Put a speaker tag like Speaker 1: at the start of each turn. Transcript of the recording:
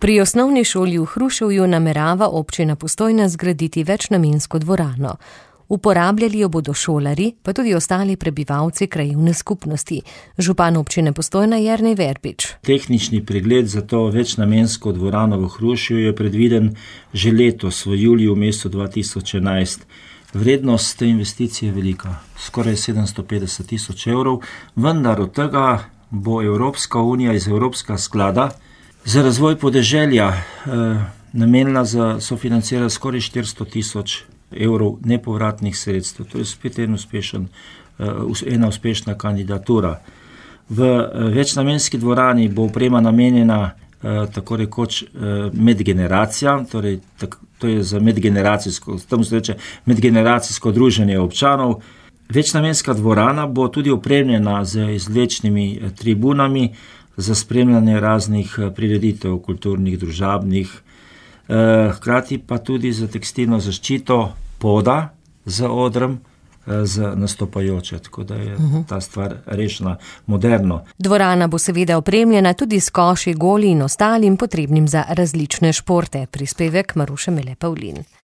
Speaker 1: Pri osnovni šoli v Hruševju namerava občina Postojna zgraditi večnamensko dvorano. Uporabljali jo bodo šolarji, pa tudi ostali prebivalci krajevne skupnosti. Župan občine Postojna Jernej Verbič.
Speaker 2: Tehnični pregled za to večnamensko dvorano v Hruševju je predviden že letos, v juliju mesecu 2011. Vrednost te investicije je velika, skoraj 750 000 evrov, vendar od tega bo Evropska unija iz Evropskega sklada za razvoj podeželja namenila za sofinanciranje skoraj 400 000 evrov nepovratnih sredstev. To je spet ena uspešna kandidatura. V večnamenski dvorani bo oprema namenjena tako rekoč medgeneracijam, torej to je za medgeneracijsko druženje občanov. Večnamenska dvorana bo tudi opremljena z izvlečnimi tribunami za spremljanje raznih prireditev, kulturnih, družabnih, hkrati pa tudi za tekstilno zaščito poda z odrem za nastopajoče, tako da je ta stvar rešena moderno.
Speaker 1: Dvorana bo seveda opremljena tudi s koši, goli in ostalim potrebnim za različne športe. Prispevek Maruše Mele Pavlin.